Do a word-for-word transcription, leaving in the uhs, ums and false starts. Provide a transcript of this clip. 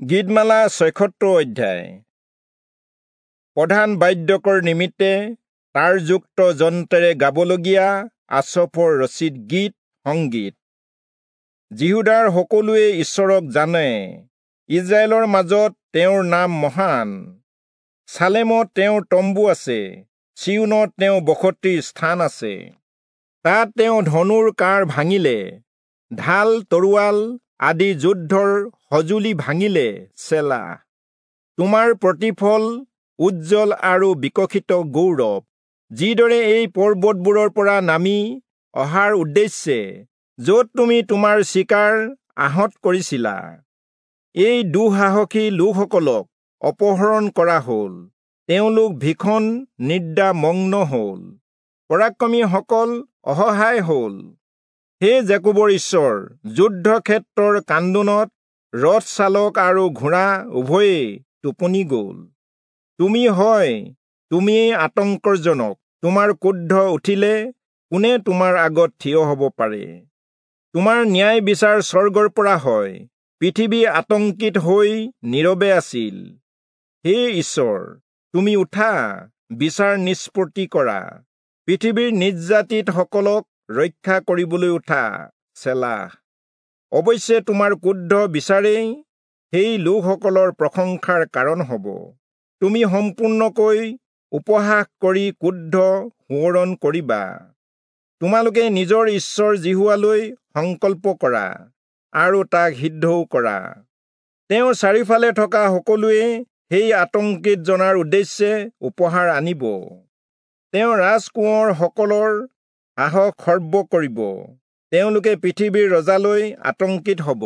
গীতমালা ছয়সত্তৰ অধ্যায়। প্ৰধান বাদ্যকৰ নিমিত্তে তাঁৰযুক্ত যন্ত্ৰেৰে গাবলগীয়া আচফৰ ৰচিত গীত সংগীত। যিহূদাৰ সকলোৱে ঈশ্বৰক জানে, ইজৰাইলৰ মাজত তেওঁৰ নাম মহান। চালেমত তেওঁৰ তম্বু আছে, চিয়োনত তেওঁ বসতিৰ স্থান আছে। তাত তেওঁ ধনুৰ কাঁড় ভাঙিলে, ঢাল তৰোৱাল আদি যুদ্ধৰ সঁজুলি ভাঙিলে। চেলা। তোমাৰ প্ৰতিফল উজ্জ্বল আৰু বিকশিত গৌৰৱ, যিদৰে এই পৰ্বতবোৰৰ পৰা নামি অহাৰ উদ্দেশ্যে য'ত তুমি তোমাৰ চিকাৰ আহত কৰিছিলা। এই দুঃসাহসী লোকসকলক অপহৰণ কৰা হ'ল, তেওঁলোক ভীষণ নিদ্ৰামগ্ন হ'ল, পৰাক্ৰমীসকল অসহায় হ'ল। হে যাকোবৰ ঈশ্বৰ, যুদ্ধক্ষেত্ৰৰ কান্দোনত ৰথ চালক আৰু ঘোঁৰা উভয়েই টোপনি গ'ল। তুমি হয়, তুমিয়েই আতংকজনক, তোমাৰ ক্ৰোধ উঠিলে কোনে তোমাৰ আগত থিয় হ'ব পাৰে? তোমাৰ ন্যায় বিচাৰ স্বৰ্গৰ পৰা হয়, পৃথিৱী আতংকিত হৈ নীৰৱে আছিল। হে ঈশ্বৰ, তুমি উঠা, বিচাৰ নিষ্পত্তি কৰা, পৃথিৱীৰ নিৰ্যাতিতসকলক ৰক্ষা কৰিবলৈ উঠা। চেলা। অৱশ্যে তোমাৰ ক্ৰুদ্ধ বিচাৰেই সেই লোকসকলৰ প্ৰশংসাৰ কাৰণ হ'ব। তুমি সম্পূৰ্ণকৈ উপহাস কৰি ক্ৰুদ্ধ সোঁৱৰণ কৰিবা। তোমালোকে নিজৰ ঈশ্বৰ যিহোৱালৈ সংকল্প কৰা আৰু তাক সিদ্ধও কৰা। তেওঁৰ চাৰিওফালে থকা সকলোৱে সেই আতংকিত জনাৰ উদ্দেশ্যে উপহাৰ আনিব। তেওঁ ৰাজকোঁৱৰসকলৰ সাহস খৰ্ব কৰিব, তেওঁলোকে পৃথিৱীৰ ৰজালৈ আতংকিত হ'ব।